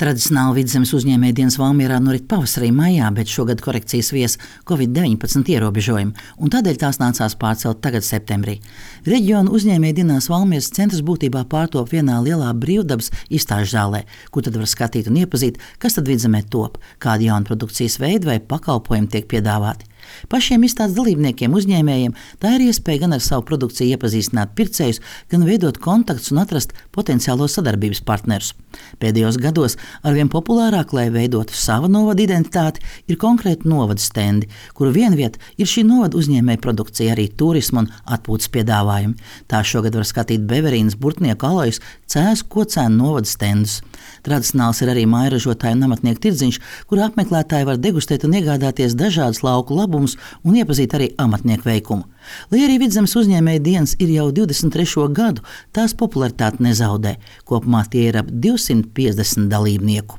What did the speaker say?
Tradicionāli Vidzemes uzņēmēju dienas Valmierā norit pavasarī maijā, bet šogad korekcijas vies Covid-19 ierobežojumi, un tādēļ tās nācās pārcelt tagad septembrī. Reģiona uzņēmēju dienās Valmieras centrs būtībā pārtop vienā lielā brīvdabas izstāžu zālē, kur tad var skatīt un iepazīt, kas tad Vidzemē top, kādi jauni produkcijas veidi vai pakalpojumi tiek piedāvāti. Pašiem izstādes dalībniekiem, uzņēmējiem, tā ir iespēja gan ar savu produkciju iepazīstināt pircējus, gan veidot kontaktus un atrast potenciālos sadarbības partnerus. Pēdējos gados arvien populārāk, lai veidotu savu novada identitāti, ir konkrēti novada stendi, kuru vienvieta ir šī novada uzņēmēja produkcija, arī turisma un atpūtas piedāvājumi. Tā šogad var skatīt Beverīnas, Burtnieku, Alojas, Cēzu, Kocēnu novada stendus. Tradicionāls ir arī mājražotāju un amatnieku tirdziņš, kur apmeklētāji var degustēt un iegādāties dažādas lauku labumus un iepazīt arī amatnieku veikumu. Lai arī Vidzemes uzņēmēju dienas ir jau 23. gadu, tās popularitāte nezaudē. Kopumā tie ir ap 250 dalībnieku.